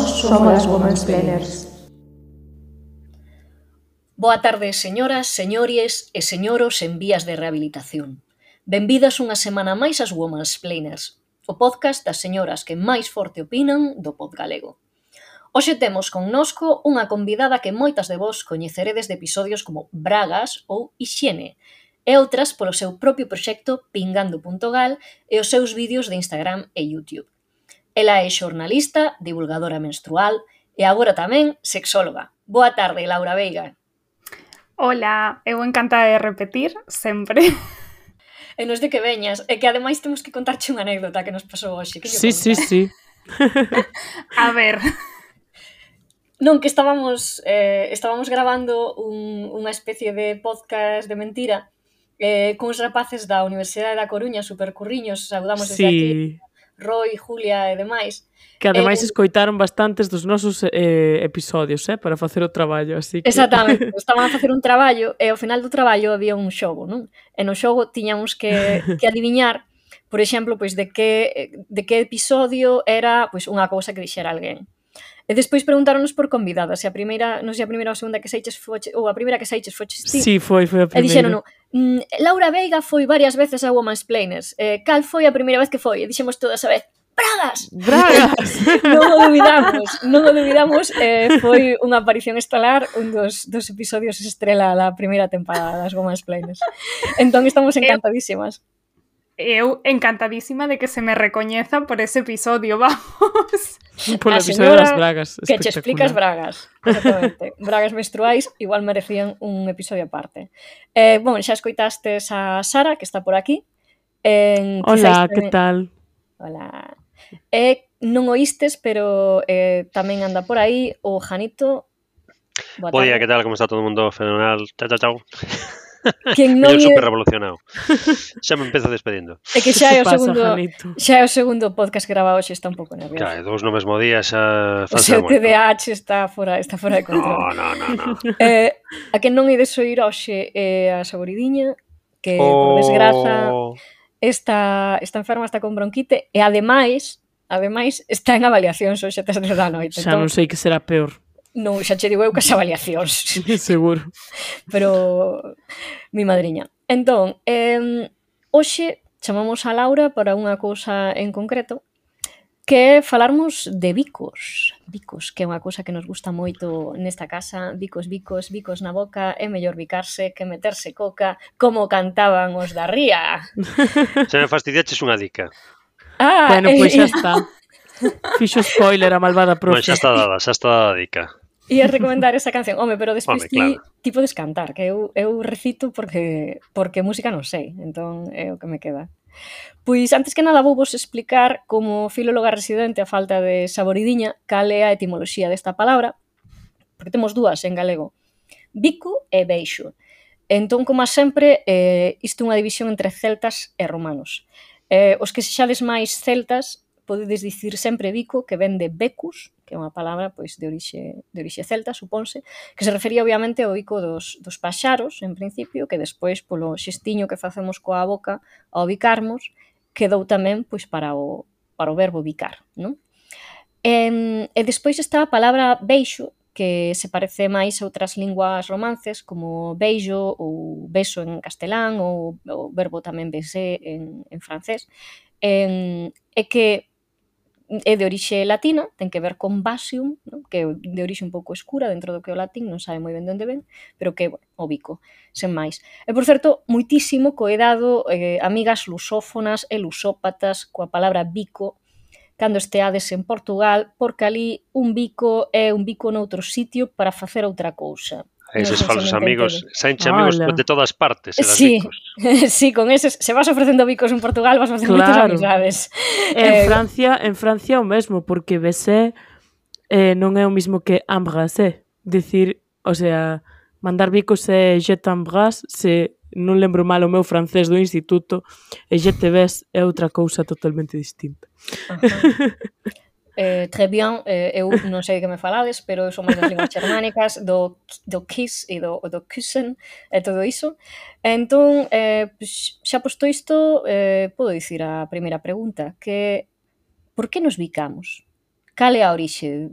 somos as Womansplainers. Boa tarde, señoras, señores e señoros en vías de rehabilitación. Benvidas unha semana máis ás Womansplainers, o podcast das señoras que máis forte opinan do pod galego. Hoxe temos connosco unha convidada que moitas de vos coñeceredes de episodios como Bragas ou Hixiene, e outras polo seu propio proxecto Pingando.gal e os seus vídeos de Instagram e YouTube. Ela é xornalista, divulgadora menstrual e agora tamén sexóloga. Boa tarde, Laura Veiga. Hola, eu encantada de repetir, sempre. E nos de que veñas, e que ademais temos que contarche unha anécdota que nos pasou hoxe. Que Sí. A ver. Non, que estábamos gravando unha especie de podcast de mentira cuns rapaces da Universidade da Coruña, supercurriños, saudamos desde aquí, Roy, Julia e demais. Que ademais escoitaron bastantes dos nosos episodios, para facer o traballo, así que... Exactamente, estaban a facer un traballo e ao final do traballo había un xogo, non? E no xogo tiñamos que adiviñar, por exemplo, pois de que episodio era pois unha cousa que dixera alguén. E despois preguntáronos por convidadas, se a primeira, non sei a primeira ou a segunda que saiches foche, ou a primeira que saiches foches ti. Sí, foi a primeira. E dixeron, Laura Veiga foi varias veces a Womansplainers. Cal foi a primeira vez que foi? E dixemos todas a vez, Bragas! Non o dubidamos, foi unha aparición estelar, un dos episodios estrela da primeira temporada das Womansplainers. Entón estamos encantadísimas. Eu encantadísima de que se me recoñeza por ese episodio, vamos. Por o episodio das bragas. Que che explicas bragas. Exactamente. Bragas menstruais igual merecían un episodio aparte. Bueno, xa escoitastes a Sara, que está por aquí. Hola, que tal? Hola. Non oístes, pero tamén anda por aí o Janito. Bo día, que tal? Como está todo o mundo? Fenomenal. Chao. Quen non super revolucionado. Xa me empezo despedindo. É que xa é o segundo podcast grabado, hoxe está un pouco nervioso. Claro, dous no mesmo día xa o seu TDAH está fora de control. No. A quen non ides oír hoxe é a Saboridiña, que por desgraza está enferma, está con bronquite e ademais está en avaliacións hoxe tes da noite. Xa non sei que será peor. Non, xa che digo eu que as avaliacións. Seguro. Pero mi madriña. Entón, hoxe chamamos a Laura para unha cousa en concreto, que é falarmos de bicos. Bicos, que é unha cousa que nos gusta moito nesta casa. Bicos na boca, é mellor bicarse que meterse coca, como cantaban os da Ría. Se me fastidiaches unha dica. Bueno, pois xa está. Fixo spoiler a malvada profe. Xa está dada a dica. Ia recomendar esa canción, pero despois ti podes cantar, que eu recito porque música non sei, entón é o que me queda. Pois, antes que nada, vou vos explicar como filóloga residente a falta de Saboridiña cal é a etimoloxía desta palabra, porque temos dúas en galego, bico e beixo. Entón, como sempre, isto é unha división entre celtas e romanos. Os que sexades máis celtas podedes dicir sempre bico, que ven de becus, que é unha palabra pois de orixe celta, supónse, que se refería obviamente ao bico dos paxaros, en principio, que despois polo xestiño que facemos coa boca ao bicarmos, quedou tamén pois para o verbo bicar, non? E despois está a palabra beixo, que se parece máis a outras linguas romances, como beijo ou beso en castelán, ou o verbo tamén baiser en francés, e que é de orixe latina, ten que ver con basium, non? Que é de orixe un pouco escura dentro do que o latín, non sabe moi ben de onde ven, pero que é o bico, sen máis. E, por certo, moitísimo coidado, amigas lusófonas e lusópatas, coa palabra bico, cando esteades en Portugal, porque ali un bico é un bico noutro sitio para facer outra cousa. Eses falsos amigos, saenche amigos de todas partes. Sí, con eses, se vas ofrecendo bicos en Portugal, vas facendo moitas amizades. En Francia o mesmo, porque baiser non é o mesmo que embrasser. Dicir, o sea, mandar bicos é je t'embrasse, se non lembro mal o meu francés do instituto, e je te baise é outra cousa totalmente distinta. Très bien, eu non sei de que me falades, pero eu son máis das linguas germánicas, do kiss e do küssen e todo iso. Entón, xa posto isto, podo dicir a primeira pregunta, que por que nos bicamos? cal é a orixe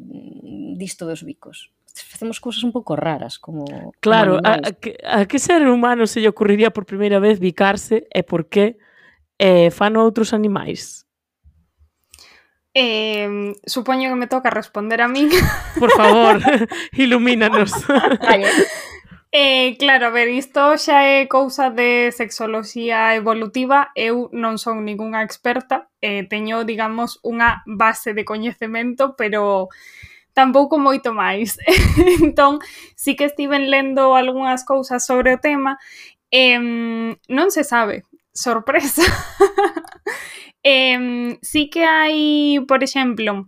disto dos bicos? Facemos cousas un pouco raras, como Claro, animais. a que ser humano se lle ocurriría por primeira vez bicarse e por que fano outros animais? Supoño que me toca responder a min. Por favor, ilumínanos. Claro, a ver, isto xa é cousa de sexoloxía evolutiva. Eu non son ningunha experta, teño, digamos, unha base de coñecemento, pero tampouco moito máis. Entón, sí que estiven lendo algunhas cousas sobre o tema. Non se sabe. Sorpresa. Sí que hai, por exemplo,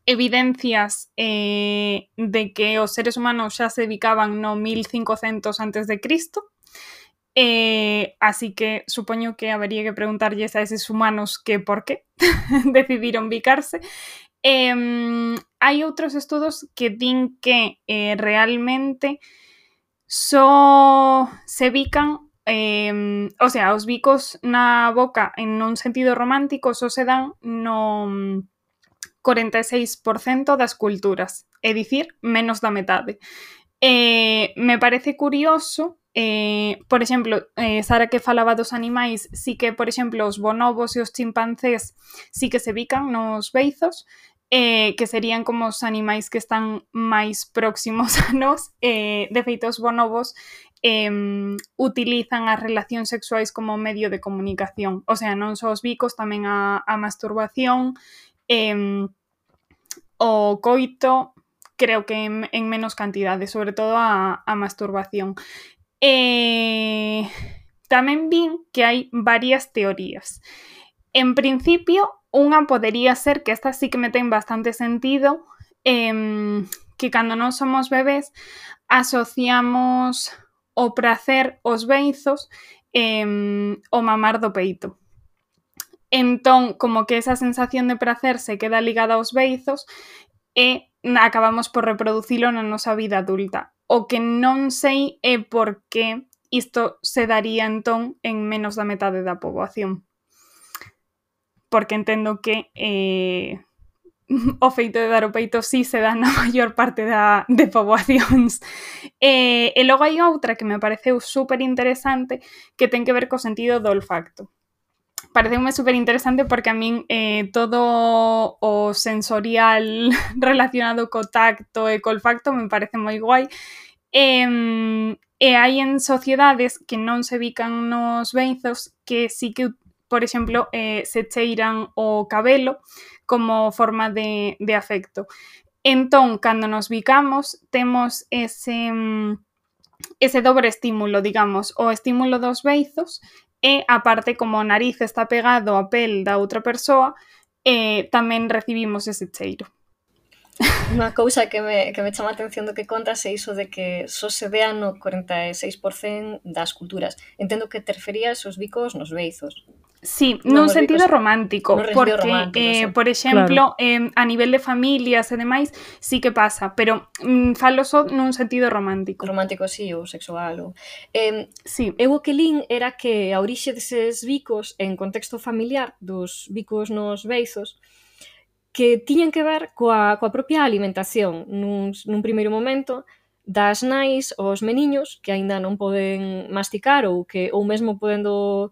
evidencias de que os seres humanos xa se dedicaban no 1500 antes de Cristo. Así que supoño que habería que preguntarlles a eses humanos que por qué decidiron bicarse. Hai outros estudos que din que realmente só se bican, o sea, os bicos na boca en un sentido romántico só se dan no 46% das culturas, é dicir, menos da metade. Me parece curioso, por exemplo, Sara que falaba dos animais, sí que, por exemplo, os bonobos e os chimpancés sí que se bican nos beizos, que serían como os animais que están máis próximos a nós. De feito, os bonobos utilizan as relacións sexuais como medio de comunicación, o sea, non só os bicos, tamén a masturbación, o coito, creo que en menos cantidade, sobre todo a masturbación. Tamén vin que hai varias teorías. En principio, unha podería ser, que esta sí que me ten bastante sentido, que cando non somos bebés asociamos o prazer os beizos o mamar do peito. Entón, como que esa sensación de prazer se queda ligada aos beizos e acabamos por reproducilo na nosa vida adulta. O que non sei é por que isto se daría entón en menos da metade da poboación. Porque entendo que o feito de dar o peito sí se dá na maior parte de poboacións. E logo hai outra que me pareceu super interesante que ten que ver co sentido do olfacto. Pareceume super interesante porque a min todo o sensorial relacionado co tacto e co olfacto me parece moi guai. E hai en sociedades que non se bican nos beizos que sí que, por exemplo, se cheiran o cabelo como forma de afecto. Entón, cando nos bicamos, temos ese dobre estímulo, digamos, o estímulo dos beizos e a parte como o nariz está pegado á pel da outra persoa, tamén recibimos ese cheiro. Unha cousa que me chama a atención do que contas é iso de que só se vea no 46% das culturas. Entendo que te referías os bicos nos beizos. Sí, nun sentido romántico, porque, romántico, sí. Por exemplo, a nivel de familias e demais, sí que pasa, pero falo só nun sentido romántico. Romántico, sí, ou sexual. Sí. Eu o que lin era que a orixe deses bicos en contexto familiar, dos bicos nos beizos, que tiñan que ver coa propia alimentación. Nun primeiro momento, das nais aos meniños que aínda non poden masticar ou mesmo podendo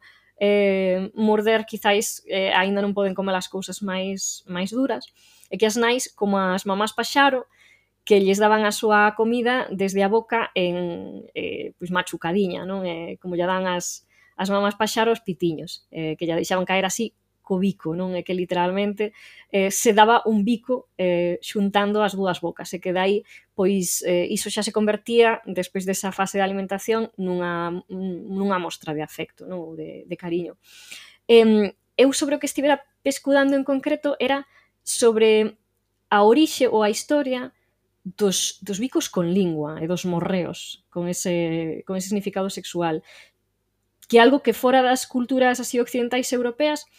morder, quizáis aínda non poden comer as cousas máis duras, e que as nais, como as mamás paxaro, que lles daban a súa comida desde a boca en pois machucadiña, non? Como lle dan as mamás paxaro os pitiños, que lle deixaban caer así co bico, non? É que literalmente se daba un bico xuntando as dúas bocas, e que dai, pois, iso xa se convertía, despois desa fase de alimentación, nunha mostra de afecto, non? De cariño. Eu sobre o que estivera pescudando en concreto era sobre a orixe ou a historia dos bicos con lingua e dos morreos con ese significado sexual, que é algo que fora das culturas así occidentais europeas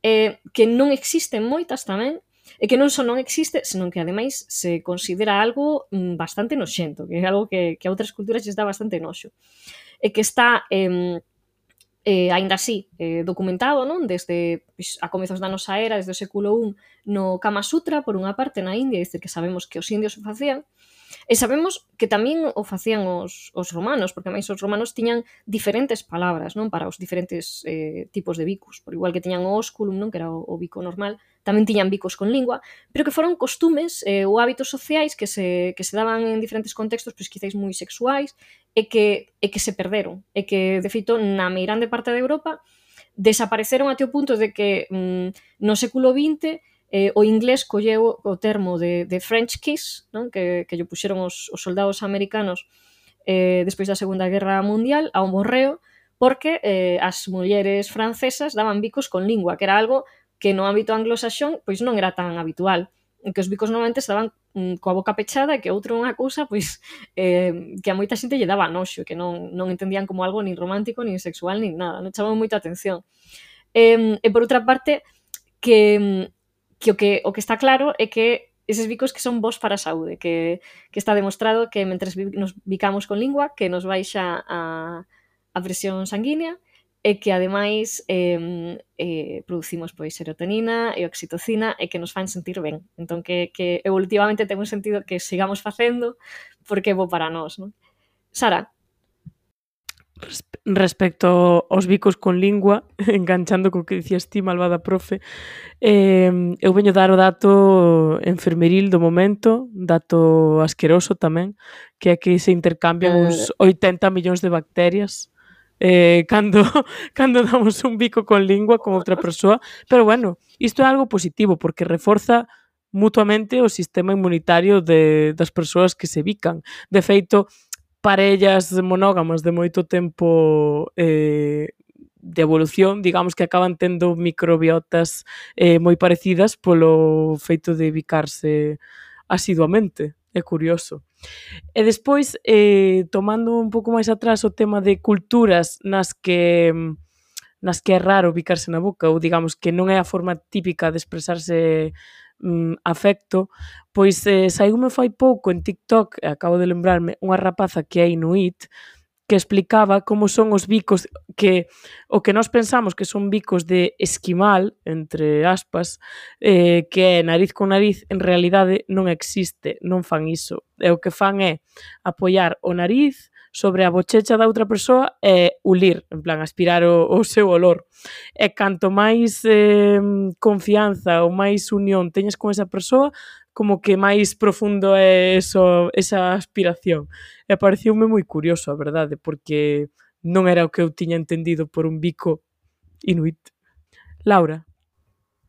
que non existen moitas tamén, e que non só non existe, senón que ademais se considera algo bastante noxento, que é algo que a outras culturas lles dá bastante noxo, e que está aínda así, documentado, non? Desde a comezos da nosa era, desde o século I, no Kama Sutra, por unha parte, na India, que sabemos que os indios o facían, e sabemos que tamén o facían os romanos, porque máis os romanos tiñan diferentes palabras, non? Para os diferentes tipos de bicos, por igual que tiñan o ósculum, non? Que era o bico normal, tamén tiñan bicos con lingua, pero que foron costumes ou hábitos sociais que se daban en diferentes contextos, pois quizáis moi sexuais, e que se perderon, e que, de feito, na meirande parte de Europa desapareceron até o punto de que no século XX o inglés colleu o termo de French kiss, non? Que lle puxeron os soldados americanos despois da Segunda Guerra Mundial ao morreo, porque as mulleres francesas daban bicos con lingua, que era algo que no ámbito anglosaxón pois non era tan habitual, que os bicos normalmente se daban coa boca pechada e que outro unha cousa pois que a moita xente lle daba noxo, que non entendían como algo nin romántico, nin sexual, nin nada, non chamaba moita atención. E por outra parte, que o que está claro é que eses bicos que son bons para a saúde, que está demostrado que mentres nos bicamos con lingua, que nos baixa a presión sanguínea, e que ademais producimos pois serotonina e oxitocina e que nos fan sentir ben. Entón que evolutivamente ten un sentido que sigamos facendo porque é bo para nós, non? Sara? Respecto aos bicos con lingua, enganchando co que dicías ti, malvada profe, eu veño dar o dato enfermeril do momento, dato asqueroso tamén, que é que se intercambian uns 80 millóns de bacterias cando damos un bico con lingua con outra persoa, pero bueno, isto é algo positivo porque reforza mutuamente o sistema inmunitario das persoas que se bican. De feito, parellas monógamas de moito tempo de evolución, digamos que acaban tendo microbiotas moi parecidas polo feito de bicarse asiduamente. É curioso. E despois, tomando un pouco máis atrás o tema de culturas nas que é raro bicarse na boca, ou digamos que non é a forma típica de expresarse afecto, pois saíume fai pouco en TikTok, acabo de lembrarme, unha rapaza que é inuit, que explicaba como son os bicos que o que nós pensamos que son bicos de esquimal, entre aspas, que é nariz con nariz, en realidade non existe, non fan iso. E o que fan é apoiar o nariz sobre a bochecha da outra persoa e ulir, en plan, aspirar o seu olor. E canto máis confianza ou máis unión teñas con esa persoa, como que máis profundo é esa aspiración. E pareciume moi curioso, a verdade, porque non era o que eu tiña entendido por un bico inuit. Laura?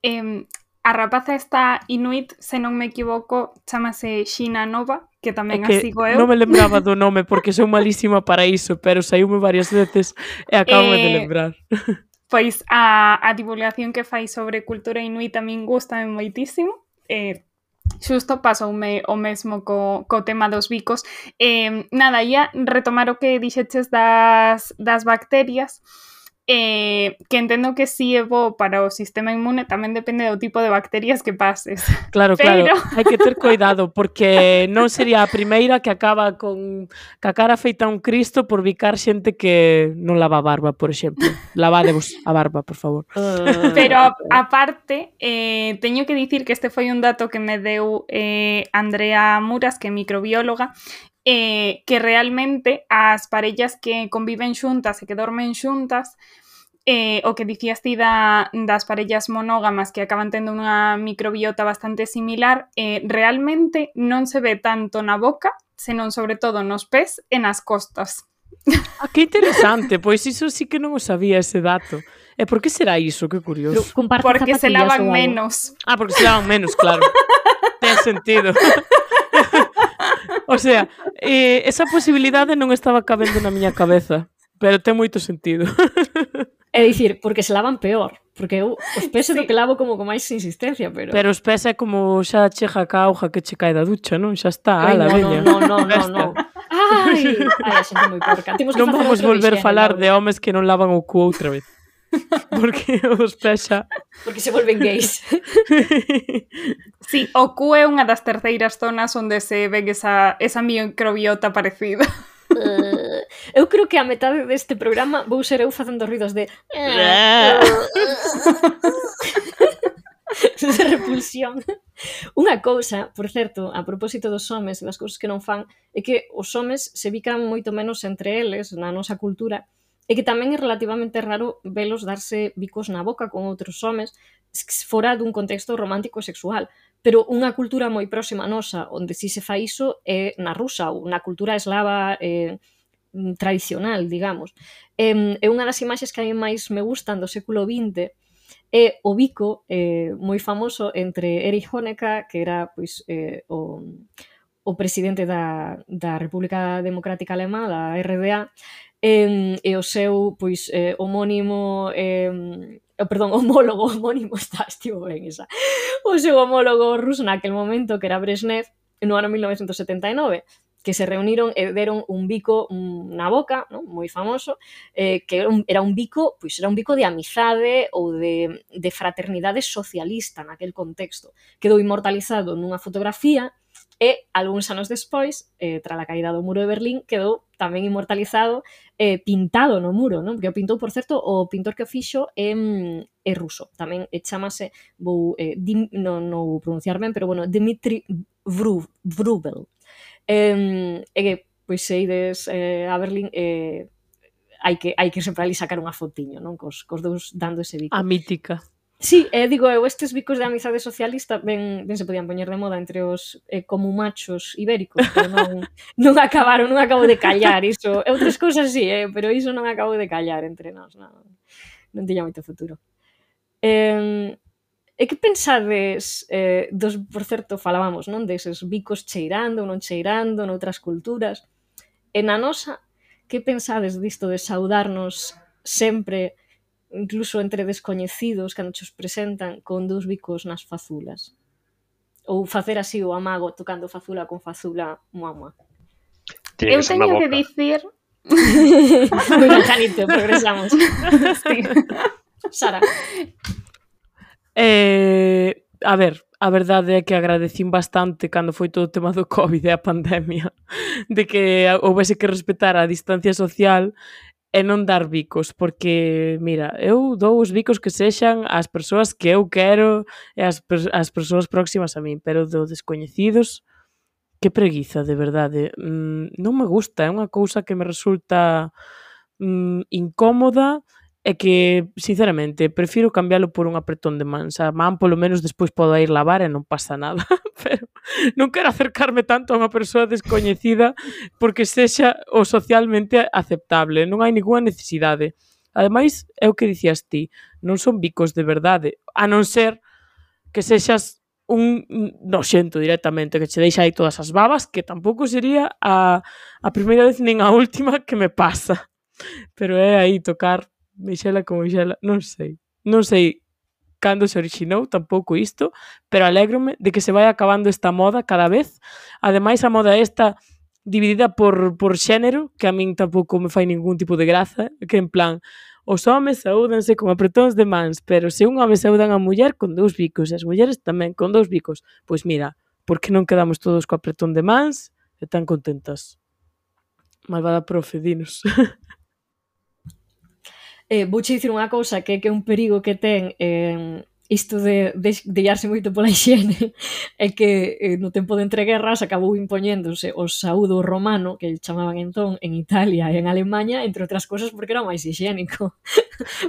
A rapaza esta inuit, se non me equivoco, chamase Xina Nova, que tamén a sigo eu. Non me lembraba do nome porque sou malísima para iso, pero saiume varias veces e acabo de lembrar. Pois a divulgación que fai sobre cultura inuit a min gustame moitísimo. Xusto pasoume o mesmo co tema dos bicos. Nada, ia retomar o que dixeches das bacterias, que entendo que si é bo para o sistema inmune, tamén depende do tipo de bacterias que pases. Claro, claro, hai que ter cuidado, porque non sería a primeira que acaba con a cara feita un Cristo por bicar xente que non lava a barba, por exemplo. Lavadevos a barba, por favor. Pero, aparte, teño que dicir que este foi un dato que me deu Andrea Muras, que é microbióloga, que realmente as parellas que conviven xuntas e que dormen xuntas, o que dicías ti das parellas monógamas que acaban tendo unha microbiota bastante similar, realmente non se ve tanto na boca, senón sobre todo nos pés e nas costas. Ah, que interesante, pois iso sí que non o sabía ese dato. E por que será iso? Que curioso. Porque se lavan menos. Ah, porque se lavan menos, claro. Ten sentido. O sea, esa posibilidade non estaba cabendo na miña cabeza, pero ten moito sentido. É dicir, porque se lavan peor, porque eu os pés é do que lavo como con máis insistencia, pero... Pero os pés é como xa chega ca auga que che cae da ducha, non? Xa está, ala, veña. Non. Ai, a xente moi porca. Non vamos volver falar de homes que non lavan o cu outra vez. Porque os pés xa... Porque se volven gays. Sí, o cu é unha das terceiras zonas onde se ven esa microbiota parecida. Eu creo que a metade deste programa vou ser eu facendo ruidos de repulsión. Unha cousa, por certo, a propósito dos homes e das cousas que non fan, é que os homes se bican moito menos entre eles na nosa cultura e que tamén é relativamente raro velos darse bicos na boca con outros homes fora dun contexto romántico e sexual. Pero unha cultura moi próxima a nosa, onde si se fai iso, é na rusa ou na cultura eslava tradicional, digamos. E unha das imaxes que a mí máis me gustan do século XX é o bico moi famoso entre Erich Honecker, que era pois, o presidente da República Democrática Alemá, da RDA, e o seu pois, homónimo homólogo estivo ben esa. O seu homólogo ruso naquel momento, que era Brezhnev, no ano 1979, que se reuniron e deron un bico na boca, non? Moi famoso, que era un bico de amizade ou de fraternidade socialista naquel contexto. Quedou inmortalizado nunha fotografía e, algúns anos despois, tras a caída do muro de Berlín, quedou tamén inmortalizado pintado no muro, non? Porque o pintou, por certo, o pintor que o fixo é ruso. Tamén chamase, non vou pronunciar ben, pero bueno, Dmitry Vrubel. E que, pois, se ides a Berlín, hai que sempre ali sacar unha fotiño, non? Cos dous dando ese bico. A mítica. Sí, digo eu, estes bicos de amizade socialista ben se podían poñer de moda entre os comumachos ibéricos, pero non acabo de callar iso. Outras cousas sí, pero iso non acabo de callar entre nós, non tiña moito futuro. E que pensades por certo, falábamos, non, deses bicos cheirando ou non cheirando noutras culturas, e na nosa, que pensades disto de saudarnos sempre, incluso entre descoñecidos, cando os presentan con dous bicos nas fazulas? Ou facer así o amago tocando fazula con fazula, muamua. Eu teño que dicir... Moi ben, Janito, progresamos. Sí. Sara. A ver, a verdade é que agradecín bastante cando foi todo o tema do COVID e a pandemia, de que houvese que respetar a distancia social e non dar bicos, porque, mira, eu dou os bicos que sexan ás persoas que eu quero e ás persoas próximas a min, pero do descoñecidos, que preguiza, de verdade. Non me gusta, é unha cousa que me resulta incómoda e que, sinceramente, prefiro cambialo por un apretón de mans. A man, polo menos, despois podo ir lavar e non pasa nada, pero non quero acercarme tanto a unha persoa descoñecida porque sexa o socialmente aceptable, non hai ninguna necesidade. Ademais, é o que dicías ti, non son bicos de verdade, a non ser que sexas un noxento directamente, que che deixa aí todas as babas, que tampouco sería a primeira vez nin a última que me pasa. Pero é aí tocar mixela con mixela, non sei cando se orixinou tampouco isto, pero alégrome de que se vai acabando esta moda cada vez. Ademais, a moda esta dividida por xénero, que a min tampouco me fai ningún tipo de graza, que en plan, os homes saúdanse con apretóns de mans, pero se un home saudan a muller con dous bicos, e as mulleres tamén con dous bicos, pois mira, por que non quedamos todos co apretón de mans e tan contentas? Malvada profe, dinos. Vouche dicir unha cousa que é un perigo que ten isto de illarse moito pola higiene é que no tempo de entreguerras acabou impoñéndose o saúdo romano, que chamaban entón en Italia e en Alemanha, entre outras cousas porque era máis higiénico.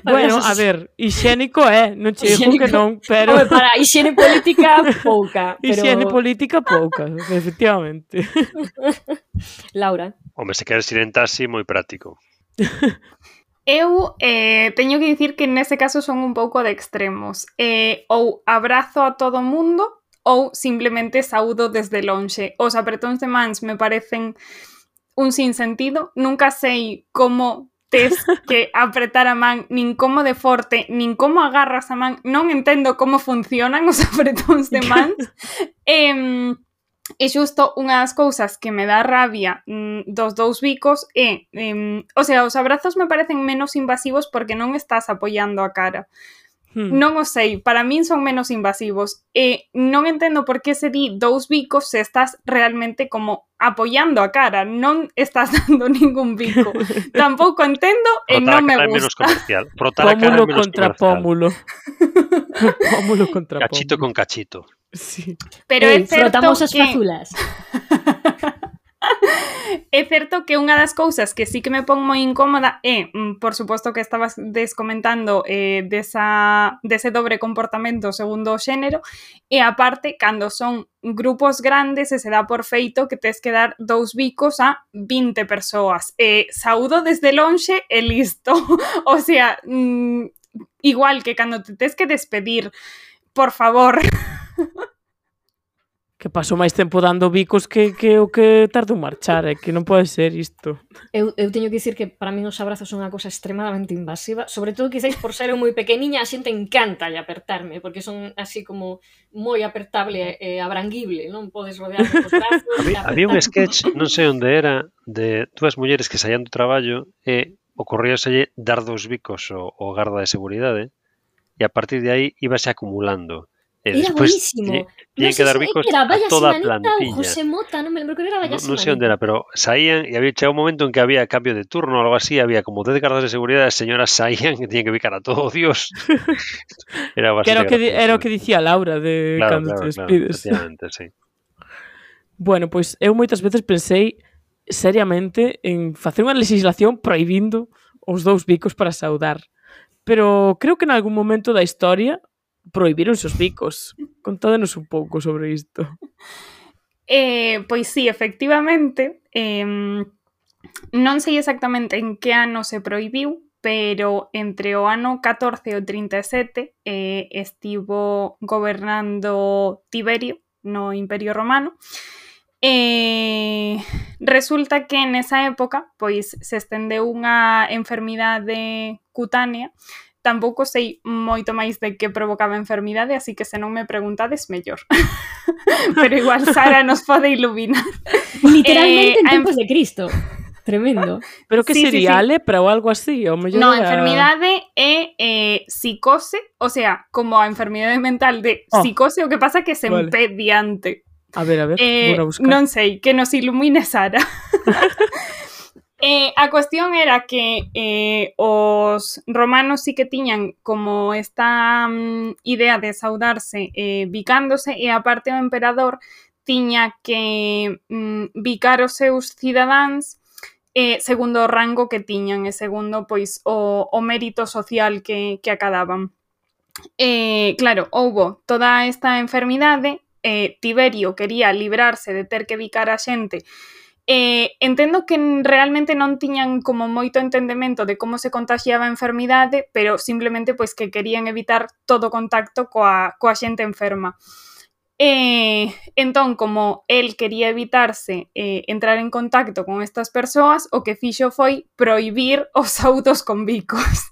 Bueno, a ver, higiénico non che digo que non, pero... Home, para higiene política, pouca. Higiene política, pouca, efectivamente. Laura. Home, se queres ir en taxi, moi práctico. Eu teño que dicir que nese caso son un pouco de extremos. Ou abrazo a todo o mundo ou simplemente saúdo desde lonxe. Os apretóns de mans me parecen un sinsentido. Nunca sei como tes que apretar a man, nin como de forte, nin como agarras a man. Non entendo como funcionan os apretóns de mans. E xusto unha das cousas que me dá rabia dos dous bicos o sea, os abrazos me parecen menos invasivos porque non estás apoiando a cara. Non o sei, para min son menos invasivos. E non entendo por que se di 2 bicos se estás realmente como apoiando a cara, non estás dando ningún bico. Tampouco entendo e non me Frotar a cara é menos gusta. comercial. Frotar a cara é Pómulo menos contra comercial. pómulo. Pómulo contra Cachito pómulo. con cachito. Sí. Pero é certo frotamos as que... fazulas. É certo que unha das cousas que sí que me pon moi incómoda é, por suposto que estabas descomentando dese dobre comportamento segundo o xénero, e aparte, cando son grupos grandes e se dá por feito que tes que dar 2 bicos a 20 persoas. Saúdo desde lonxe e listo. O sea, igual que cando te tes que despedir, por favor... Que paso máis tempo dando bicos que o que tardo en marchar, é que non pode ser isto. Eu teño que dicir que para min os abrazos son unha cosa extremadamente invasiva, sobre todo quizáis por ser eu moi pequeniña, a xente encanta apertarme, porque son así como moi apertable e abranguible, non podes rodearme cos brazos. Había un sketch, non sei onde era, de dúas mulleres que saían do traballo e ocorríaselle dar 2 bicos ao garda de seguridade e a partir de aí íbase acumulando. E Era buenísimo. Tiñen que dar bicos era a toda a Sinanita ou plantilla. José Mota, non me lembro que era Valla Non sei onde era, pero saían e había chegado un momento en que había cambio de turno ou algo así, había como 10 gardas de seguridade, as señoras saían e tiñen que bicar a todo, Dios. Era bastante Era o que dicía Laura de cando te despides. Efectivamente, sí. Bueno, pois eu moitas veces pensei seriamente en facer unha legislación prohibindo os 2 bicos para saudar. Pero creo que en algún momento da historia prohibironse os bicos. Contádenos un pouco sobre isto. Pois sí, efectivamente, non sei exactamente en que ano se prohibiu, pero entre o ano 14 e o 37 estivo gobernando Tiberio no Imperio Romano. Resulta que nesa época pois se estendeu unha enfermidade cutánea. Tampouco sei moito máis de que provocaba a enfermidade, así que se non me preguntades, mellor. Pero igual Sara nos pode iluminar. Literalmente en tempos de Cristo. Tremendo. Pero que Sí, sería sí. lepra ou algo así? O mellor No, a era... enfermidade é psicose, o sea, como a enfermidade mental de psicose, o que pasa que se Vale. empediante. A ver, vou a buscar. Non sei, que nos ilumine Sara. A cuestión era que os romanos sí que tiñan como esta idea de saudarse bicándose e aparte o emperador tiña que bicar os seus cidadáns segundo o rango que tiñan e segundo pois o mérito social que acadaban. Claro, houbo toda esta enfermidade, Tiberio quería librarse de ter que bicar a xente. Entendo que realmente non tiñan como moito entendemento de como se contagiaba a enfermidade, pero simplemente pois que querían evitar todo contacto coa xente enferma. Entón, como el quería evitarse entrar en contacto con estas persoas, o que fixo foi prohibir os saúdos con bicos.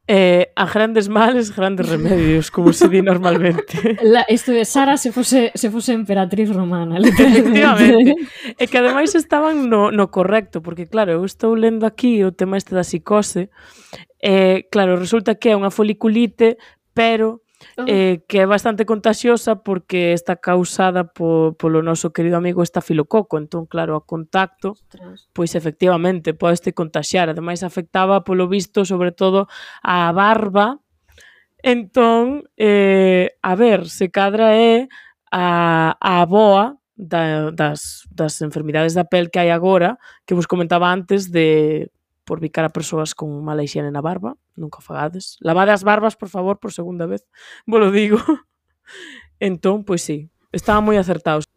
A grandes males, grandes remedios, como se di normalmente. Isto de Sara se fose emperatriz romana, Efectivamente. E que ademais estaban no correcto, porque claro, eu estou lendo aquí o tema este da psicose, claro, resulta que é unha foliculite, pero que é bastante contagiosa porque está causada polo noso querido amigo estafilococo. Entón, claro, ao contacto, pois efectivamente podeste contaxiar. Ademais, afectaba polo visto, sobre todo, a barba. Entón, a ver, se cadra é a aboa das enfermidades da pel que hai agora, que vos comentaba antes de por bicar a persoas con mala higiene na barba, nunca fagades. Lavade as barbas, por favor, por segunda vez, vos lo digo. Entón, pois sí, estaban moi acertados.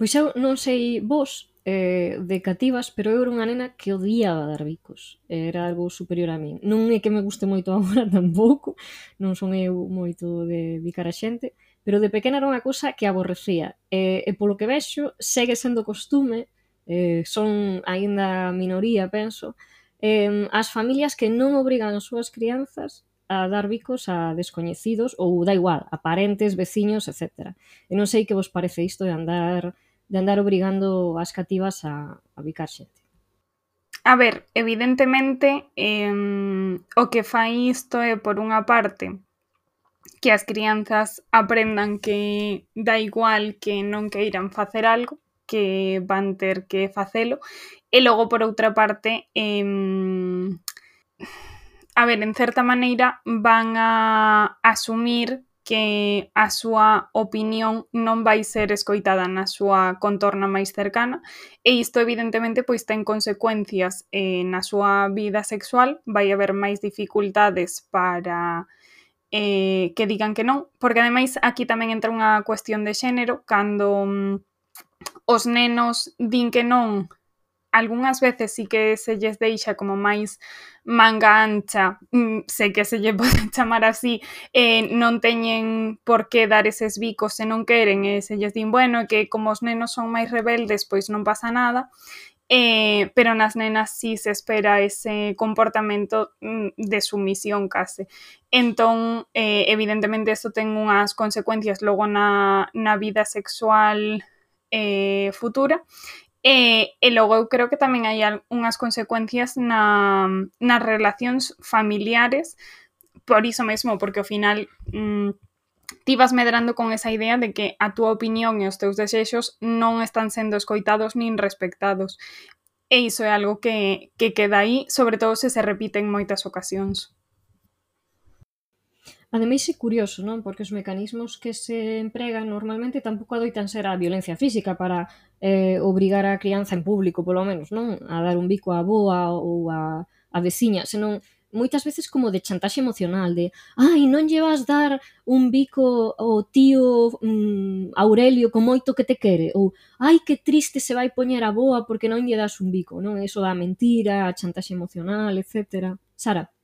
Pois eu non sei vos de cativas, pero eu era unha nena que odiaba dar bicos. Era algo superior a min. Non é que me guste moito agora tampouco, non son eu moito de bicar a xente, pero de pequena era unha cousa que aborrecía. E polo que vexo, segue sendo costume, son aínda minoría, penso, as familias que non obrigan as súas crianzas a dar bicos a descoñecidos ou da igual, a parentes, veciños, etc. E non sei que vos parece isto de andar obrigando as cativas a bicar xente. A ver, evidentemente, o que fai isto é, por unha parte, que as crianzas aprendan que dá igual que non queiran facer algo, que van ter que facelo, e logo, por outra parte, a ver, en certa maneira van a asumir que a súa opinión non vai ser escoitada na súa contorna máis cercana e isto evidentemente pois ten consecuencias na súa vida sexual, vai haber máis dificultades para que digan que non, porque ademais aquí tamén entra unha cuestión de xénero, cando os nenos din que non, algunhas veces sí que se lles deixa como máis manga ancha, sei que se lle pode chamar así, non teñen por que dar eses bicos se non queren, e se lles din, bueno, que como os nenos son máis rebeldes, pois non pasa nada, pero nas nenas sí se espera ese comportamento de sumisión case. Entón, evidentemente, isto ten unhas consecuencias logo na vida sexual futura, e logo eu creo que tamén hai unhas consecuencias nas relacións familiares por iso mesmo, porque ao final ti vas medrando con esa idea de que a túa opinión e os teus desexos non están sendo escoitados nin respectados. E iso é algo que queda aí, sobre todo se repite en moitas ocasións. Ademais é curioso, non? Porque os mecanismos que se empregan normalmente tampouco adoitan ser a violencia física para obrigar a crianza en público, polo menos, non? A dar un bico á avoa ou a veciña, senón moitas veces como de chantaxe emocional, de ai, non lle vas dar un bico ao tío Aurelio con moito que te quere, ou ai, que triste se vai poñer a avoa porque non lle das un bico, non? Eso da mentira, a chantaxe emocional, etc. Sara?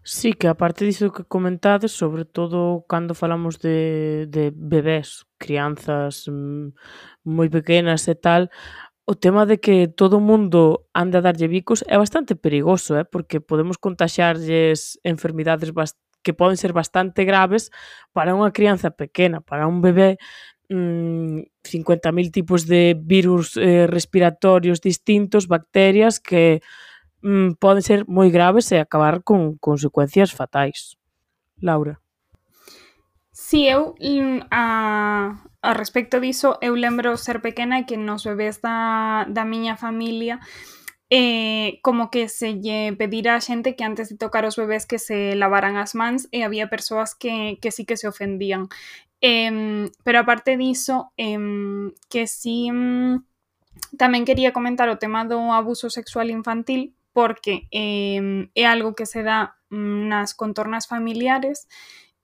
Sí, que aparte diso que comentades, sobre todo cando falamos de bebés, crianzas moi pequenas e tal, o tema de que todo o mundo ande a darlle bicos é bastante perigoso, porque podemos contaxiarlles enfermidades que poden ser bastante graves para unha crianza pequena, para un bebé, 50.000 tipos de virus respiratorios distintos, bacterias que poden ser moi graves e acabar con consecuencias fatais. Laura. Si, eu a respecto diso, eu lembro ser pequena e que nos bebés da miña familia como que se lle pedira a xente que antes de tocar os bebés que se lavaran as mans e había persoas que sí que se ofendían. Pero aparte diso, que sí tamén quería comentar o tema do abuso sexual infantil porque é algo que se dá nas contornas familiares.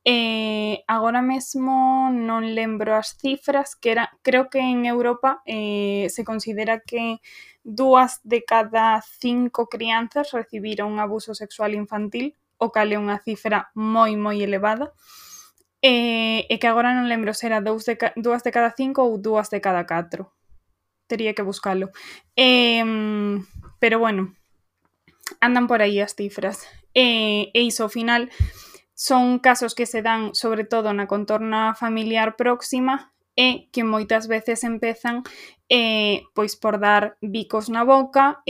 Agora mesmo non lembro as cifras, creo que en Europa se considera que 2 de cada 5 crianzas recibiron un abuso sexual infantil, o cal é unha cifra moi, moi elevada, e que agora non lembro se era 2 de cada 5 ou 2 de cada 4. Tería que buscalo. Pero bueno, andan por aí as cifras. E iso, ao final, son casos que se dan sobre todo na contorna familiar próxima e que moitas veces empezan pois por dar bicos na boca.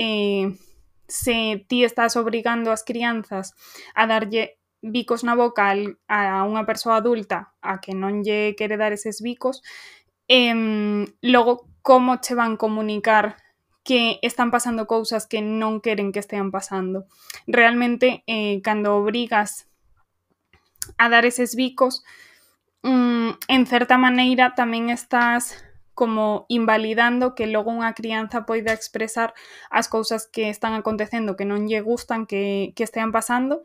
Se ti estás obrigando as crianzas a darlle bicos na boca a unha persoa adulta a que non lle quere dar eses bicos, logo como che van comunicar que están pasando cousas que non queren que estean pasando. Realmente, cando obrigas a dar eses bicos, en certa maneira tamén estás como invalidando que logo unha crianza poida expresar as cousas que están acontecendo que non lle gustan que estean pasando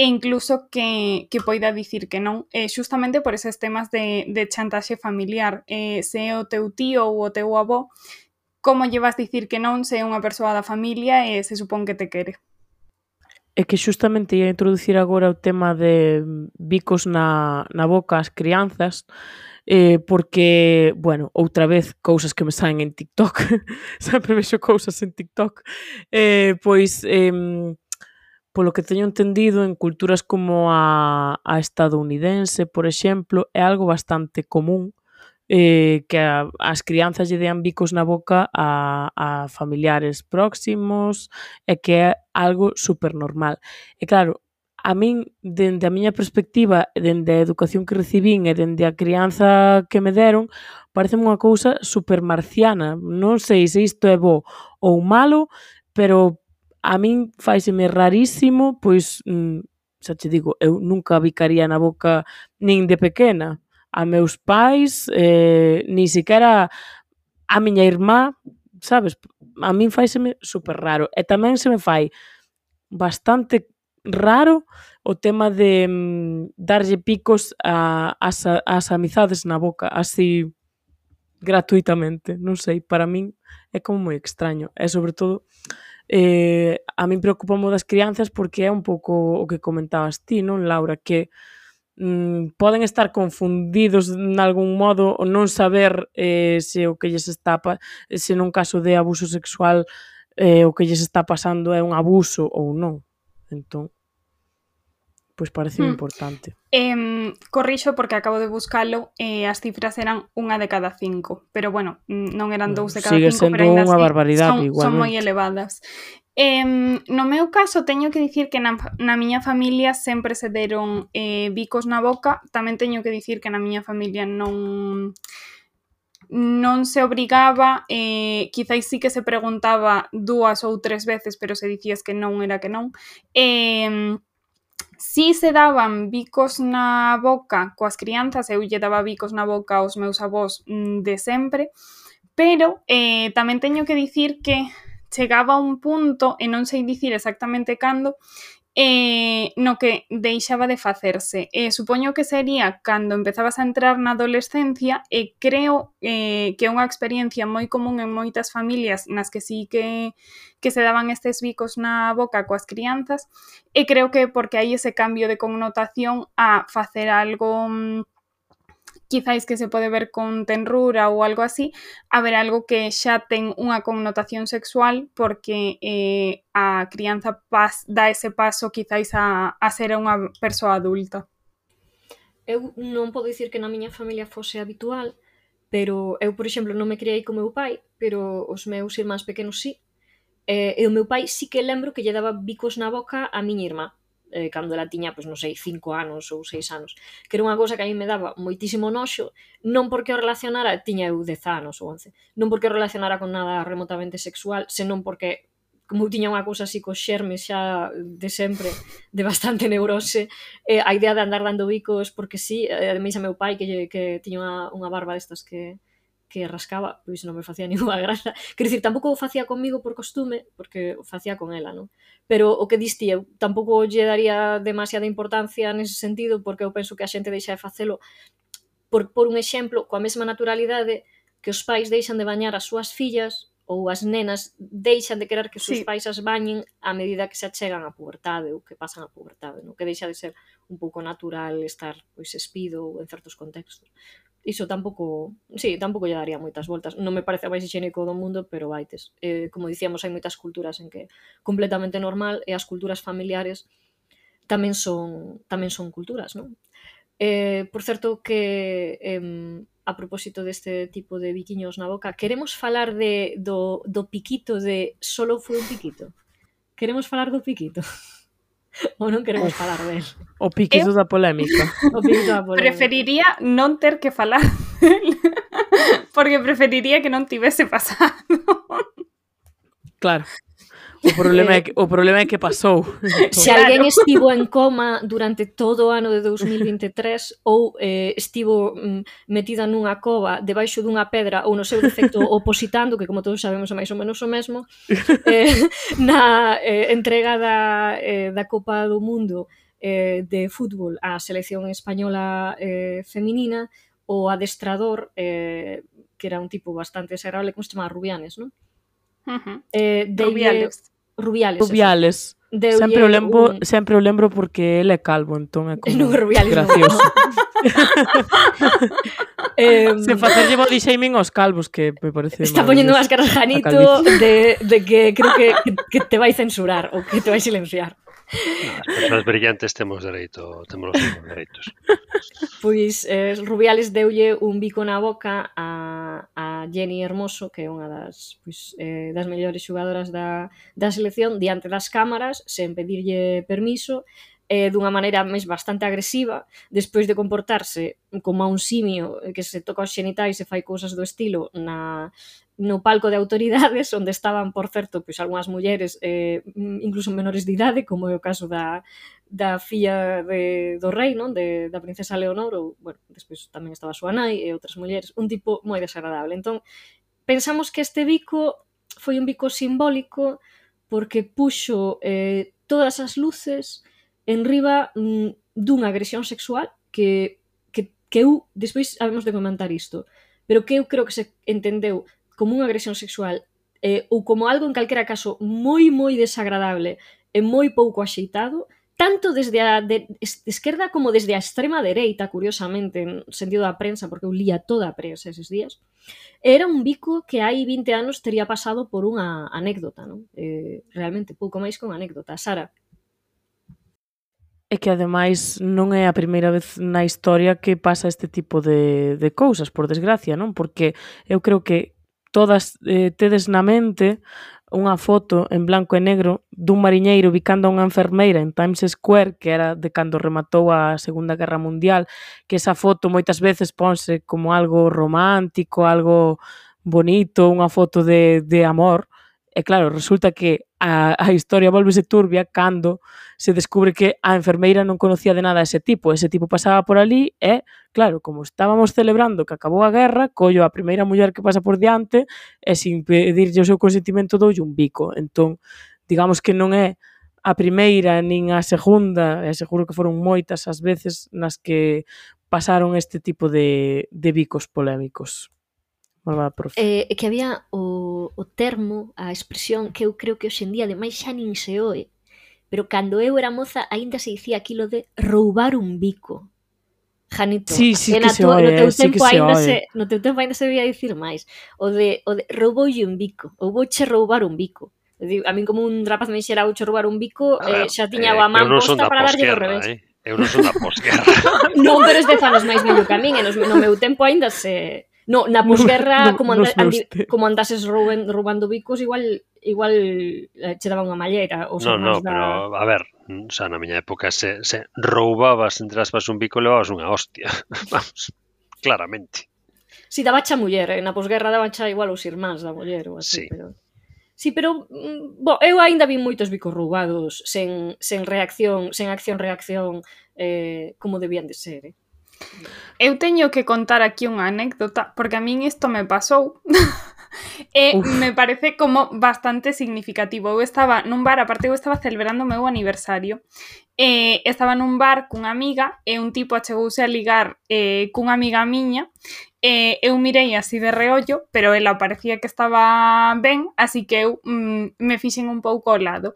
e incluso que poida dicir que non, xustamente por eses temas de chantaxe familiar. Se é o teu tío ou o teu avó, como lle vas dicir que non se é unha persoa da familia e se supón que te quere? É que xustamente ia introducir agora o tema de bicos na boca ás crianzas, porque, bueno, outra vez, cousas que me saen en TikTok, sempre vexo cousas en TikTok, pois, polo que teño entendido, en culturas como a estadounidense, por exemplo, é algo bastante común que as crianzas lle dean bicos na boca a familiares próximos e que é algo super normal. E claro, a min, dende a miña perspectiva, dende a educación que recibín e dende a crianza que me deron, parece unha cousa super marciana. Non sei se isto é bo ou malo, pero a min faiseme rarísimo, pois, xa te digo, eu nunca bicaría na boca nin de pequena a meus pais, ni siquiera a miña irmá, sabes? A min faiseme super raro. E tamén se me fai bastante raro o tema de darlle picos ás amizades na boca, así gratuitamente. Non sei, para min é como moi extraño. E sobre todo, a min preocupa das crianzas porque é un pouco o que comentabas ti, non, Laura? Que poden estar confundidos en algún modo ou non saber se o que lles está se nun caso de abuso sexual o que lles está pasando é un abuso ou non. Entón, pois parece importante. Corrixo porque acabo de buscalo, as cifras eran 1 de cada 5, pero bueno, non eran 2 de cada 5, pero ainda unha barbaridade, son moi elevadas. No meu caso, teño que dicir que na miña familia sempre se deron bicos na boca. Tamén teño que dicir que na miña familia non se obrigaba, quizáis sí que se preguntaba 2 ou 3 veces, pero se dicías que non era que non. Si se daban bicos na boca coas crianzas, eu lle daba bicos na boca aos meus avós de sempre, pero tamén teño que dicir que chegaba un punto, e non sei dicir exactamente cando, no que deixaba de facerse. Supoño que sería cando empezabas a entrar na adolescencia, e creo que é unha experiencia moi común en moitas familias nas que sí que se daban estes bicos na boca coas crianzas, e creo que porque hai ese cambio de connotación a facer algo quizáis que se pode ver con tenrura ou algo así, a ver algo que xa ten unha connotación sexual porque a crianza dá ese paso quizáis a ser unha persoa adulta. Eu non podo dicir que na miña familia fose habitual, pero eu, por exemplo, non me criei co meu pai, pero os meus irmáns pequenos sí. E o meu pai sí que lembro que lle daba bicos na boca a miña irmá, cando ela tiña, pois non sei, 5 anos ou 6 anos, que era unha cousa que a mí me daba moitísimo noxo, non porque o relacionara, tiña eu 10 anos ou 11, non porque o relacionara con nada remotamente sexual, senón porque, como eu tiña unha cousa así cos xermes xa de sempre, de bastante neurose, a idea de andar dando bicos, porque sí, ademais a meu pai, que tiña unha barba destas que rascaba, pois non me facía ninguna graza. Quero dicir, tampouco o facía comigo por costume, porque o facía con ela, non? Pero o que diste, eu tampouco lle daría demasiada importancia nese sentido, porque eu penso que a xente deixa de facelo por un exemplo, coa mesma naturalidade que os pais deixan de bañar as súas fillas ou as nenas deixan de querer que os seus pais as bañen a medida que se achegan a pubertade ou que pasan a pubertade, non? Que deixa de ser un pouco natural estar pois espido en certos contextos. Iso tampouco lle daría moitas voltas. Non me parece o máis higiénico do mundo, pero vaites. Como dicíamos, hai moitas culturas en que é completamente normal e as culturas familiares tamén son culturas, non? Por certo que a propósito deste tipo de biquiños na boca, queremos falar do piquito de solo foi un piquito? Queremos falar do piquito? Ou non queremos falar del? O piquito da polémica. O piquito da polémica. Preferiría non ter que falar del, porque preferiría que non tivese pasado. Claro. O problema é que pasou. Se alguén estivo en coma durante todo o ano de 2023 ou estivo metida nunha cova debaixo dunha pedra ou no seu defecto opositando, que como todos sabemos é máis ou menos o mesmo, na entrega da Copa do Mundo de fútbol á selección española feminina, o adestrador, que era un tipo bastante desagradable, como se chamaba, Rubianes, non? Rubiales. Sempre o lembro porque ele é calvo, entón é como gracioso. Se facerlle body shaming aos calvos, que me parece está poñendo máscaras Janito de que creo que te vai censurar ou que te vai silenciar. As persoas brillantes temos dereito, temos os mesmos dereitos. Pois Rubiales deulle un bico na boca a Jenny Hermoso, que é unha das mellores xogadoras da selección, diante das cámaras, sen pedirlle permiso, dunha maneira máis bastante agresiva, despois de comportarse como a un simio que se toca os xenitais e fai cousas do estilo no palco de autoridades, onde estaban, por certo, pois algunhas mulleres, incluso menores de idade, como é o caso da filla do rei, non? Da princesa Leonor, ou, bueno, despois tamén estaba a súa nai e outras mulleres, un tipo moi desagradable. Entón, pensamos que este bico foi un bico simbólico porque puxo todas as luces en riba dunha agresión sexual que eu, despois habemos de comentar isto, pero que eu creo que se entendeu como unha agresión sexual ou como algo, en calquera caso, moi, moi desagradable e moi pouco axeitado, tanto desde a esquerda como desde a extrema dereita, curiosamente, en sentido da prensa, porque eu lía toda a prensa eses días. Era un bico que hai 20 anos tería pasado por unha anécdota, non? Realmente, pouco máis que unha anécdota. Sara? É que ademais non é a primeira vez na historia que pasa este tipo de cousas, por desgracia, non? Porque eu creo que todas tedes na mente unha foto en blanco e negro dun mariñeiro bicando a unha enfermeira en Times Square, que era de cando rematou a Segunda Guerra Mundial, que esa foto moitas veces ponse como algo romántico, algo bonito, unha foto de amor. E claro, resulta que a historia volvese turbia cando se descubre que a enfermeira non conocía de nada a ese tipo. Ese tipo pasaba por ali e, claro, como estábamos celebrando que acabou a guerra, collo a primeira muller que pasa por diante e sin pedirlle o seu consentimento doulle un bico. Entón, digamos que non é a primeira nin a segunda, e seguro que foron moitas as veces nas que pasaron este tipo de bicos polémicos. Malvada profe. Que había o termo, a expresión que eu creo que hoxe en día ademais xa nin se oe, pero cando eu era moza aínda se dicía aquilo de roubar un bico. Janito, sí que se oe, no teu tempo aínda se debía dicir máis. O de rouboulle un bico, ou vouche roubar un bico. A min como un rapaz me dixera vouche roubar un bico, xa tiña a man posta para darlle do revés. Eu non son da posguerra. Non, pero este fanos máis vello que a min, e no meu tempo aínda se... No, na posguerra, como andases roubando bicos, igual che daban unha mallera. No, pero, a ver, na miña época se roubabas, entre aspas, un bico, levabas unha hostia. Vamos, claramente. Si, dabacha a muller, na posguerra dabacha igual os irmáns da muller, ou así, pero... Sí, pero, eu aínda vi moitos bicos roubados sen reacción, sen acción-reacción, como debían de ser, Eu teño que contar aquí unha anécdota, porque a min isto me pasou e me parece como bastante significativo. Eu estaba nun bar, aparte eu estaba celebrando o meu aniversario, estaba nun bar cunha amiga e un tipo achegouse a ligar cunha amiga miña, eu mirei así de reollo, pero ela parecía que estaba ben, así que eu me fixen un pouco ao lado.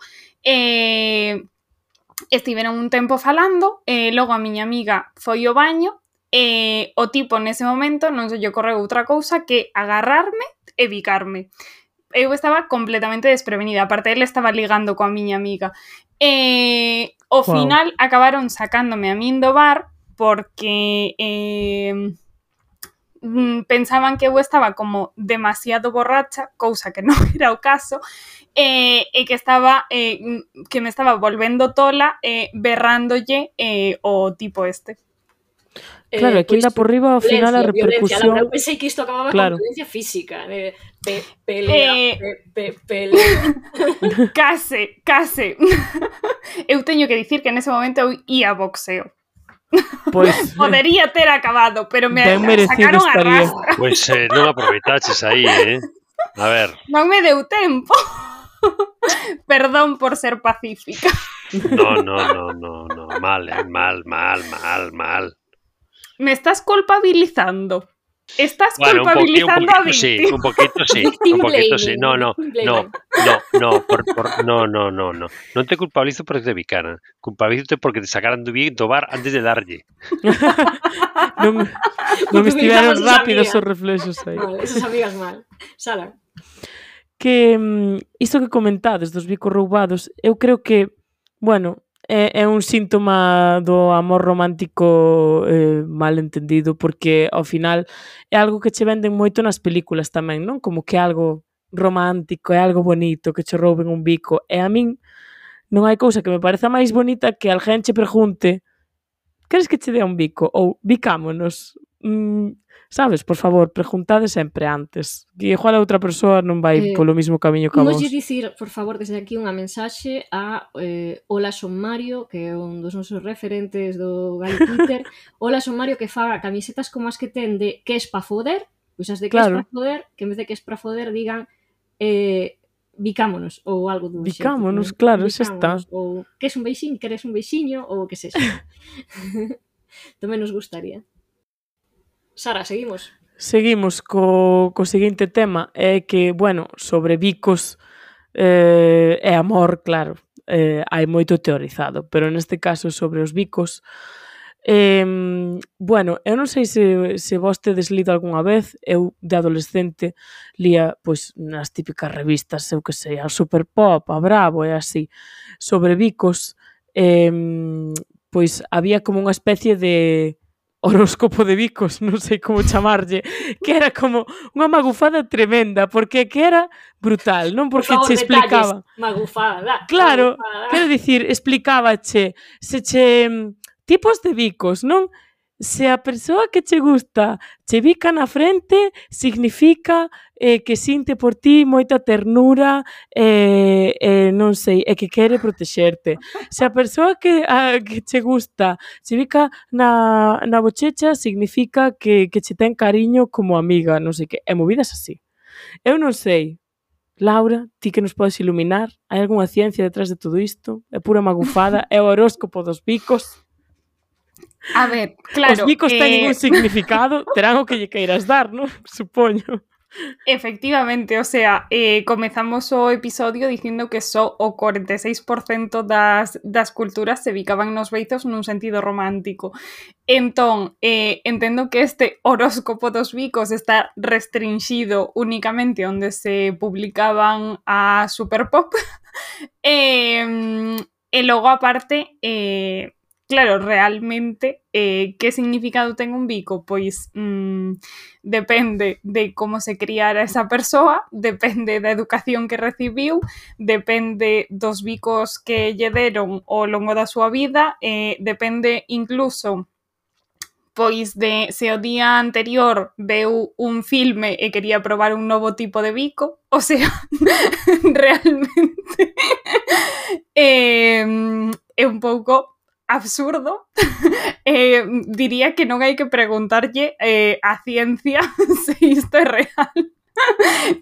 Estiveron un tempo falando, logo a miña amiga foi ao baño e o tipo nese momento non se lle ocorreu outra cousa que agarrarme e bicarme. Eu estaba completamente desprevenida, aparte ele estaba ligando coa miña amiga. Ao final acabaron sacándome a min do bar porque pensaban que eu estaba como demasiado borracha, cousa que non era o caso, e que estaba que me estaba volvendo tola berrándolle o tipo este. Claro, aquí anda por riba ao final a repercusión. Eu pensei que isto acababa con violencia física, pelea. Case. Eu teño que dicir que nese momento eu ia boxeo. Pues, podería ter acabado, pero me sacaron a rastra. Pois non aproveitaches aí, A ver. Non me deu tempo. Perdón por ser pacífica. No, mal. Me estás culpabilizando. Estás culpabilizando a Victi. Un poquito sí. No. Non te culpabilizo porque te bicaran. Culpabilízote porque te sacaran do bar antes de darlle. non estiveron rápidos os reflexos aí. Vale, esas amigas mal. Sala. Que isto que comentades dos bicos roubados, eu creo que, bueno, é un síntoma do amor romántico mal entendido, porque ao final é algo que che venden moito nas películas tamén, non? Como que é algo romántico, é algo bonito, que che rouben un bico. E a min non hai cousa que me pareza máis bonita que alguén che pregunte: queres que che dea un bico? Ou bicámonos. Sabes, por favor, preguntade sempre antes. Que igual a outra persoa non vai polo mismo camiño que a vos. Imoslle dicir, por favor, desde aquí unha mensaxe a Ola Son Mario, que é un dos nosos referentes do Gali Twitter. Ola Son Mario, que faga camisetas como as que ten de que es pa foder, pois as de que es pa foder, que en vez de que es pa foder digan bicámonos, ou algo do xeito. Bicámonos, claro, xa está. Ou que es un beixiño, queres un beixiño, ou que sexa. Tamén nos gustaría. Sara, seguimos. Seguimos co seguinte tema, é que, bueno, sobre bicos e amor, claro, hai moito teorizado, pero neste caso sobre os bicos, bueno, eu non sei se vos tedes lido algunha vez, eu de adolescente lía, pois, nas típicas revistas, eu que sei, a Super Pop, a Bravo e así, sobre bicos, pois había como unha especie de horóscopo de bicos, non sei como chamarlle, que era como unha magufada tremenda, porque que era brutal, non? Porque por favor, che explicaba. Detalles, magufada. Claro, magufada. quero dicir, explicábache se che tipos de bicos, non? Se a persoa que che gusta che bica na frente, significa que sinte por ti moita ternura non sei, e que quere protexerte. Se a persoa que che gusta che bica na bochecha, significa que che ten cariño como amiga, non sei que, e movidas así. Eu non sei, Laura, ti que nos podes iluminar, hai algunha ciencia detrás de todo isto? É pura magufada? É o horóscopo dos bicos? A ver, claro... Os bicos teñen un significado, terán o que lle queiras dar, non? Supoño. Efectivamente, o sea, comezamos o episodio dicindo que só o 46% das culturas se bicaban nos beizos nun sentido romántico. Entón, entendo que este horóscopo dos bicos está restringido únicamente onde se publicaban a Super Pop. E logo, aparte... Claro, realmente, que significado ten un bico? Pois depende de como se criara esa persoa, depende da educación que recibiu, depende dos bicos que lle deron ao longo da súa vida, depende incluso pois de se o día anterior veu un filme e quería probar un novo tipo de bico, o sea, realmente é un pouco absurdo. Diría que non hai que preguntarlle a ciencia se isto é real.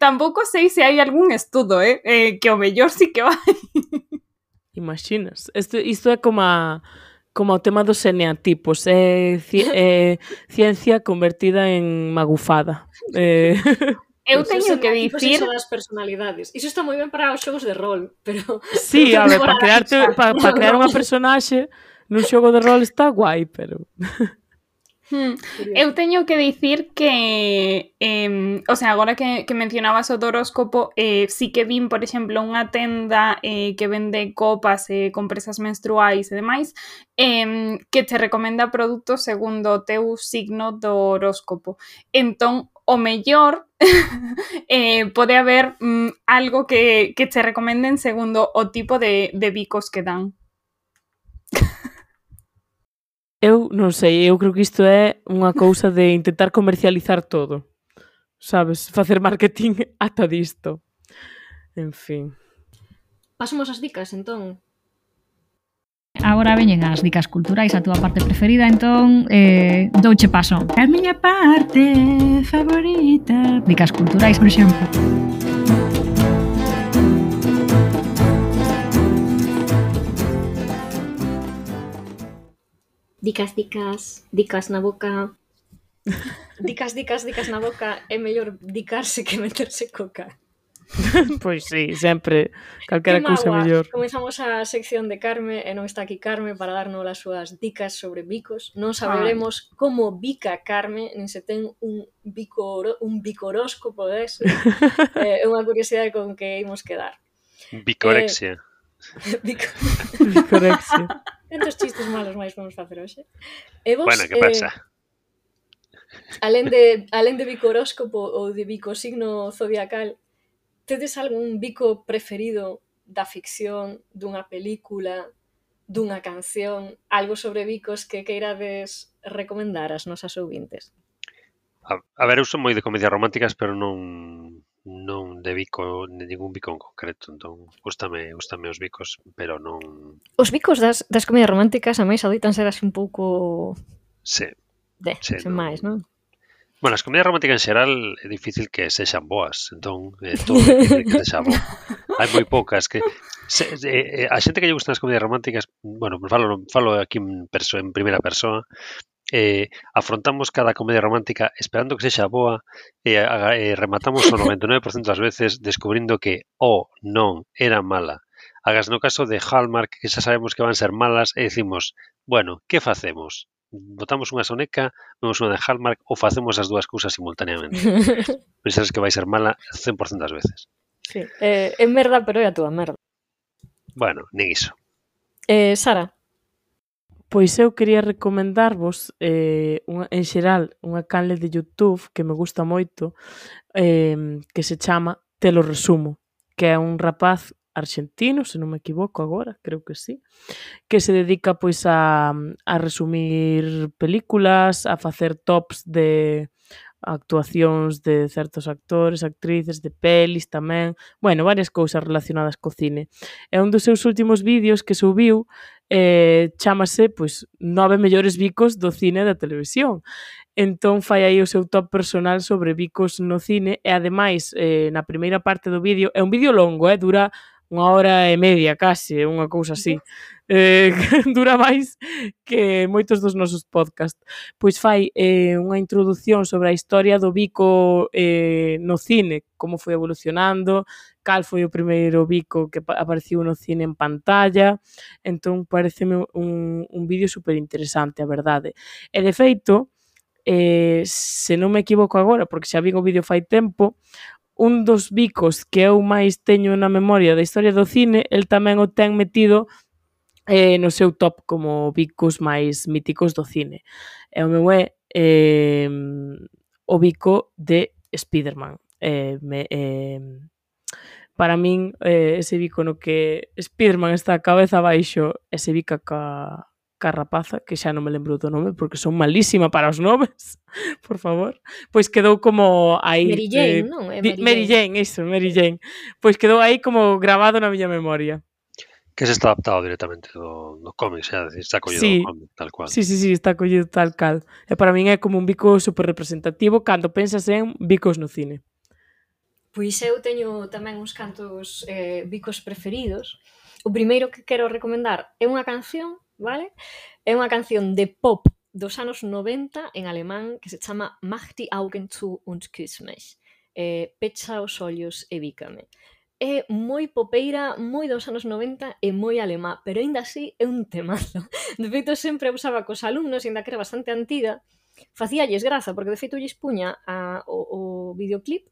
Tampouco sei se hai algún estudo, que o mellor sí que vai. Imaginas? Isto é como o tema dos eneatipos, é ciencia convertida en magufada. Eu teño que dicir... Iso das personalidades. Iso está moi ben para os xogos de rol, pero... Sí, a ver, para crear unha personaxe nun xogo de rol está guai, pero... Eu teño que dicir que, o sea, agora que mencionabas o do horóscopo, sí que vin, por exemplo, unha tenda que vende copas e compresas menstruais e demais, que te recomenda produtos segundo o teu signo do horóscopo. Entón, o mellor pode haber algo que te recomenden segundo o tipo de bicos que dan. Eu non sei, eu creo que isto é unha cousa de intentar comercializar todo. Sabes? Facer marketing ata disto. En fin. Pasamos as dicas, entón. Agora veñen as dicas culturais, a túa parte preferida, entón douche paso. A miña parte favorita. Dicas culturais, por exemplo. Dicas na boca. Dicas na boca, é mellor dicarse que meterse coca. Pois sí, sempre calquera cousa mellor. Comezamos a sección de Carme e non está aquí Carme para darnos as súas dicas sobre bicos. Non saberemos como bica Carme, nin se ten un bicoróscopo dese. É unha curiosidade con que imos quedar. Bicorexia. Bicorexia. Cantos chistes malos máis vamos facer hoxe? E vos, Bueno, que pasa? alén de bico horóscopo ou de bico signo zodiacal, tedes algún bico preferido da ficción, dunha película, dunha canción, algo sobre bicos que queirades recomendar ás nosas ouvintes? A ver, eu son moi de comedias románticas, pero non de bico, de ningún bico en concreto. Entón, gústame os bicos, pero non... Os bicos das comedias románticas a máis adoitan ser así un pouco... Sí, sen máis, non? Bueno, as comedias románticas en xeral é difícil que sexan boas, entón todo é difícil que sexa bo. Hai moi poucas que a xente que lle gustan as comedias románticas, bueno, falo aquí en primeira persoa, afrontamos cada comedia romántica esperando que sexa boa e rematamos o 99% das veces descubrindo que non, era mala. Hagas no caso de Hallmark, que xa sabemos que van ser malas, e decimos, bueno, que facemos? Botamos unha soneca, vemos unha de Hallmark ou facemos as dúas cousas simultaneamente. Pensas que vai ser mala 100% das veces. Sí, é merda, pero é a túa merda. Bueno, nin iso. Sara? Pois eu quería recomendarvos en xeral unha canle de YouTube que me gusta moito que se chama Te lo resumo, que é un rapaz arxentino, se non me equivoco agora, creo que sí, que se dedica pois a resumir películas, a facer tops de actuacións de certos actores, actrices, de pelis tamén, bueno, varias cousas relacionadas co cine. E un dos seus últimos vídeos que subiu chámase, pois, 9 mellores bicos do cine e da televisión. Entón fai aí o seu top personal sobre bicos no cine e ademais na primeira parte do vídeo, é un vídeo longo, dura 1h30 case, unha cousa así. Dura máis que moitos dos nosos podcast. Pois fai unha introdución sobre a historia do bico no cine, como foi evolucionando, cal foi o primeiro bico que apareciu no cine en pantalla. Entón pareceme un vídeo super interesante, a verdade. E de feito, se non me equivoco agora, porque xa vin o vídeo fai tempo, un dos bicos que eu máis teño na memoria da historia do cine, el tamén o ten metido no seu top como bicos máis míticos do cine. E o meu é o bico de Spiderman. Para min, ese bico no que Spiderman está a cabeza abaixo e se bica ca rapaza, que xa non me lembro do nome porque son malísima para os nomes, por favor, pois quedou como aí... Mary Jane, non? Mary Jane. Pois quedou aí como grabado na miña memoria. Que se está adaptado directamente do cómic, xa, está collido do cómic, tal cual. Sí, está collido tal cal. E para min é como un bico super representativo cando pensas en bicos no cine. Pois eu teño tamén uns cantos bicos preferidos. O primeiro que quero recomendar é unha canción, vale? É unha canción de pop dos anos 90 en alemán que se chama Mach die Augen zu und küss mich. Pecha os ollos e bícame. É moi popeira, moi dos anos 90 e moi alemá, pero aínda así é un temazo. De feito, sempre usaba cos alumnos, aínda que era bastante antiga, facíalles graza, porque de feito lles puña o videoclip.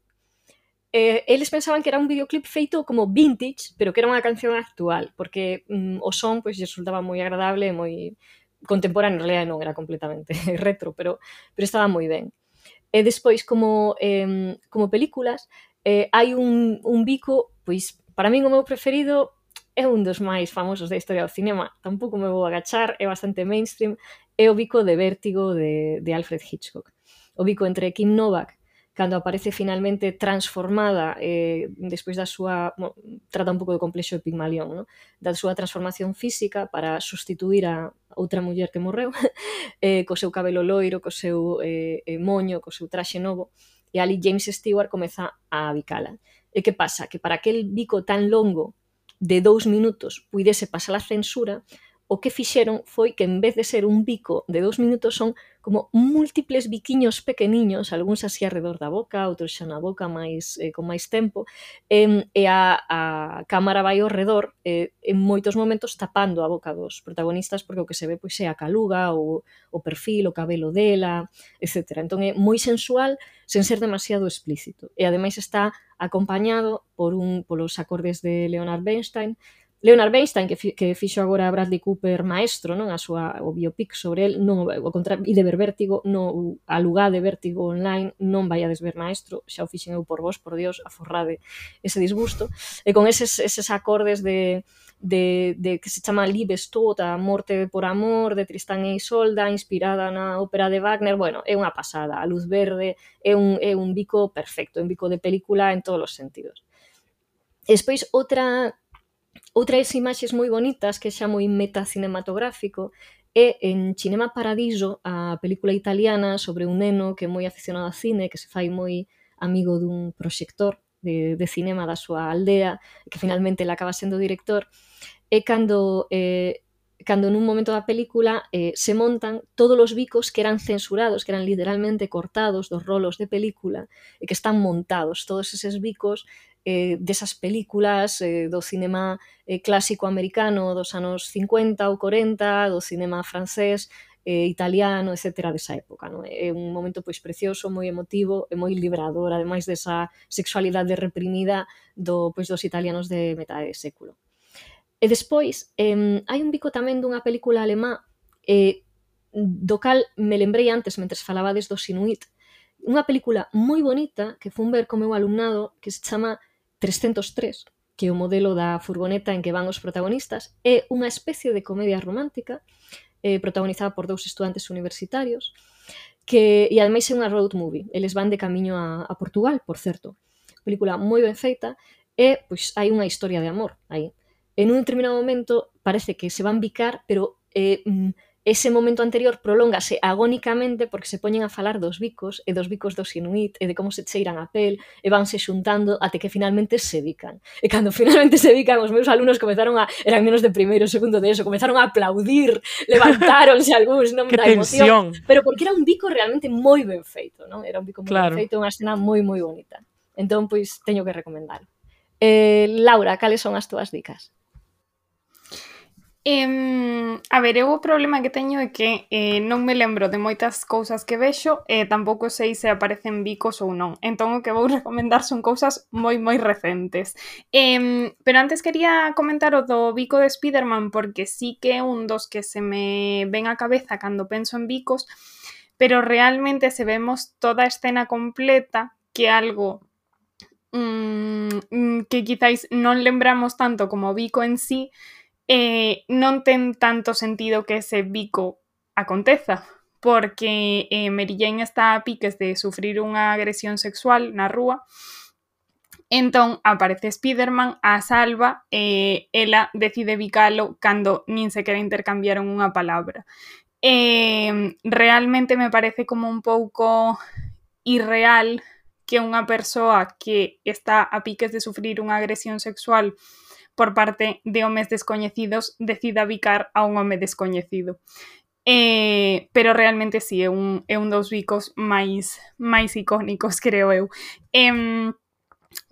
Eles pensaban que era un videoclip feito como vintage, pero que era unha canción actual, porque o son pois lles resultaba moi agradable e moi contemporáneo, en realidad non era completamente retro, pero estaba moi ben. E despois, como películas, hai un bico, pois, para min o meu preferido é un dos máis famosos da historia do cinema, tampouco me vou agachar, é bastante mainstream, é o bico de Vértigo de Alfred Hitchcock. O bico entre Kim Novak, cando aparece finalmente transformada despois da súa... trata un pouco do complexo de Pigmalión, no? Da súa transformación física para sustituir a outra muller que morreu, co seu cabelo loiro, co seu moño, co seu traxe novo, e ali James Stewart comeza a bicala. E que pasa? Que para aquel bico tan longo de 2 minutos puidese pasar a censura, o que fixeron foi que en vez de ser un bico de 2 minutos son como múltiples biquiños pequeniños, algúns así alrededor da boca, outros xa na boca con máis tempo, e a cámara vai ao redor en moitos momentos tapando a boca dos protagonistas porque o que se ve pois é a caluga, o perfil, o cabelo dela, etc. Entón é moi sensual sen ser demasiado explícito. E ademais está acompañado polos acordes de Leonard Bernstein, Leonard Bernstein, que fixo agora a Bradley Cooper maestro, non? O biopic sobre el, non, e de ver Vértigo, non, alugade Vértigo online, non vaiades ver maestro, xa o fixen eu por vos, por Dios, aforrade ese disgusto, e con eses acordes de que se chama Liebestod, a morte por amor, de Tristán e Isolda, inspirada na ópera de Wagner, bueno, é unha pasada, a luz verde, é un bico perfecto, un bico de película en todos os sentidos. E despois, outras imaxes moi bonitas, que xa moi metacinematográfico, é en Cinema Paradiso, a película italiana sobre un neno que é moi aficionado a cine, que se fai moi amigo dun proxector de cinema da súa aldea, que finalmente ele acaba sendo director, é cando nun momento da película se montan todos os bicos que eran censurados, que eran literalmente cortados dos rolos de película, e que están montados todos eses bicos desas películas do cinema clásico americano dos anos 50 ou 40, do cinema francés, italiano, etc. desa época. Non? É un momento pois precioso, moi emotivo e moi librador, ademais desa sexualidade reprimida dos italianos de metade de século. E despois, hai un bico tamén dunha película alemá do cal me lembrei antes mentres falabades dos Inuit, unha película moi bonita que fun ver co meu alumnado que se chama 303, que é o modelo da furgoneta en que van os protagonistas, é unha especie de comedia romántica protagonizada por 2 estudantes universitarios e ademais é unha road movie, eles van de camiño a Portugal, por certo, película moi ben feita e pois hai unha historia de amor aí. En un determinado momento parece que se van bicar, pero ese momento anterior prolóngase agónicamente porque se poñen a falar dos bicos e dos bicos dos Inuit e de como se cheiran a pel e vanse xuntando até que finalmente se bican. E cando finalmente se bican, os meus alumnos eran menos de primeiro, segundo de eso, comezaron a aplaudir, levantáronse algúns, non, da emoción, pero porque era un bico realmente moi ben feito, non? Era un bico moi ben feito, unha escena moi moi bonita. Entón, pois, teño que recomendar. Laura, cales son as túas dicas? A ver, eu o problema que teño é que non me lembro de moitas cousas que vexo e tampouco sei se aparecen bicos ou non. Entón o que vou recomendar son cousas moi moi recentes. Pero antes quería comentar o do bico de Spiderman porque sí que é un dos que se me ven á cabeza cando penso en bicos, pero realmente se vemos toda a escena completa, que é algo que quizáis non lembramos tanto como o bico en sí, non ten tanto sentido que ese bico aconteza, porque Mary Jane está a piques de sufrir unha agresión sexual na rúa, entón aparece Spiderman, a salva e ela decide bicalo cando nin sequera intercambiaron unha palabra. Realmente me parece como un pouco irreal que unha persoa que está a piques de sufrir unha agresión sexual por parte de homes descoñecidos decida bicar a un home descoñecido. Pero realmente sí, é un dos bicos máis icónicos, creo eu.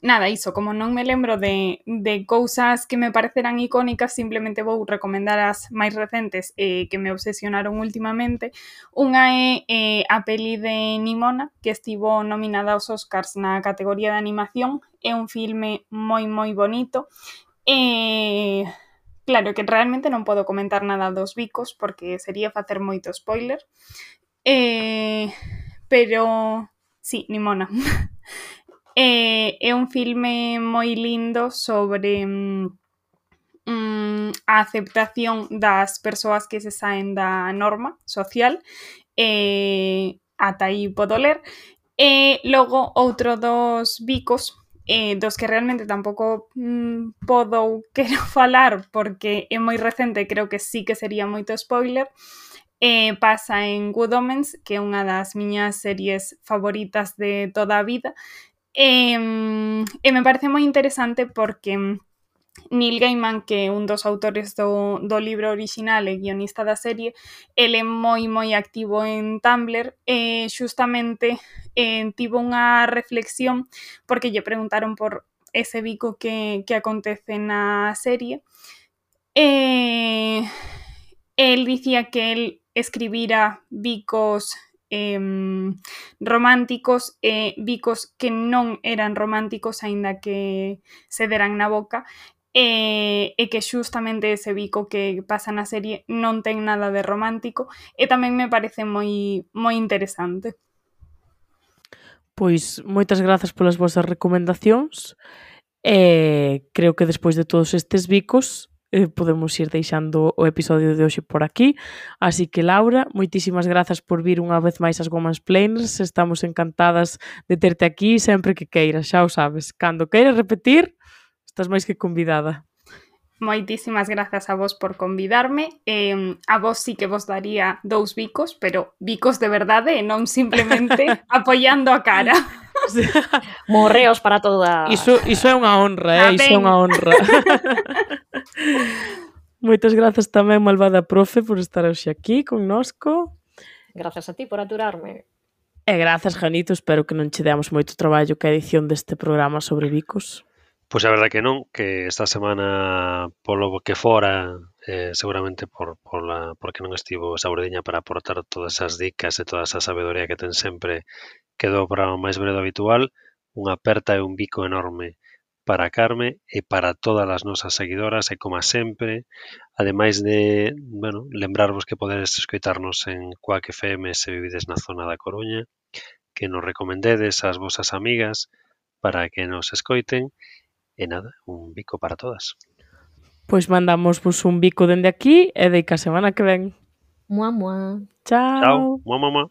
Nada, iso, como non me lembro de cousas que me parecerán icónicas, simplemente vou recomendar as máis recentes que me obsesionaron últimamente. Unha é a peli de Nimona, que estivo nominada aos Oscars na categoría de animación. É un filme moi moi bonito. Claro que realmente non podo comentar nada dos bicos porque sería facer moito spoiler, pero sí, Nimona. É un filme moi lindo sobre a aceptación das persoas que se saen da norma social, ata aí podo ler. E logo outro dos bicos dos que realmente tampouco podo ou quero falar porque é moi recente, creo que sí que sería moito spoiler, pasa en Good Omens, que é unha das miñas series favoritas de toda a vida, e me parece moi interesante porque Neil Gaiman, que é un dos autores do libro orixinal e guionista da serie, ele é moi moi activo en Tumblr e xustamente tivo unha reflexión porque lle preguntaron por ese bico que acontece na serie e el dicía que el escribira bicos románticos e bicos que non eran románticos aínda que se deran na boca e que xustamente ese bico que pasa na serie non ten nada de romántico e tamén me parece moi interesante. Pois moitas grazas polas vosas recomendacións e creo que despois de todos estes bicos podemos ir deixando o episodio de hoxe por aquí. Así que, Laura, moitísimas grazas por vir unha vez máis ás Womansplainers. Estamos encantadas de terte aquí sempre que queiras, xa o sabes. Cando queiras repetir, estás máis que convidada. Moitísimas grazas a vos por convidarme. A vos sí que vos daría 2 bicos, pero bicos de verdade e non simplemente apoiando a cara. Morreos para todas. Iso é unha honra, iso é unha honra. Moitas grazas tamén, malvada profe, por estar hoxe aquí connosco. Grazas a ti por aturarme. E grazas, Janito, espero que non che deamos moito traballo que a edición deste programa sobre bicos. Pois a verdade que non, que esta semana polo que fora, seguramente porque non estivo Saurediña para aportar todas as dicas e toda esa sabedoría que ten sempre, quedou o programa máis breve do habitual. Unha aperta e un bico enorme para Carme e para todas as nosas seguidoras e, como sempre, ademais de, lembrarvos que podedes escoitarnos en Quack FM se vivides na zona da Coruña, que nos recomendedes ás vosas amigas para que nos escoiten. E nada, un bico para todas. Pois mandamosvos un bico dende aquí e deica a semana que ven. Mua, mua. Chao. Chao. Mua, mua, mua.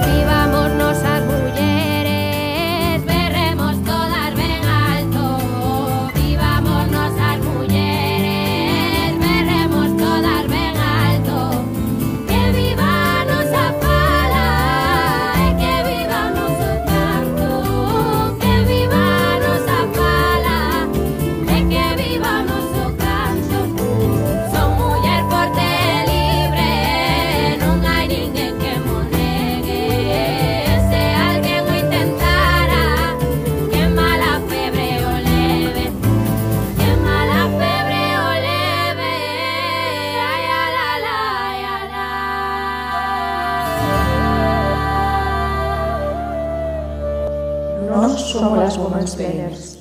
Vivámonos as mulleres, berremos todas ben alto. Vivámonos as mulleres, berremos todas ben alto. Que viva a nosa fala e que viva o noso canto. Que viva a nosa fala e que viva o noso canto. Son muller forte e libre, non hai ninguén que mo negue. Se alguén o intentara, que mala febre o leve. Que mala febre o leve. Ai, ala, la, ai, ala. Nós somos as Womansplainers.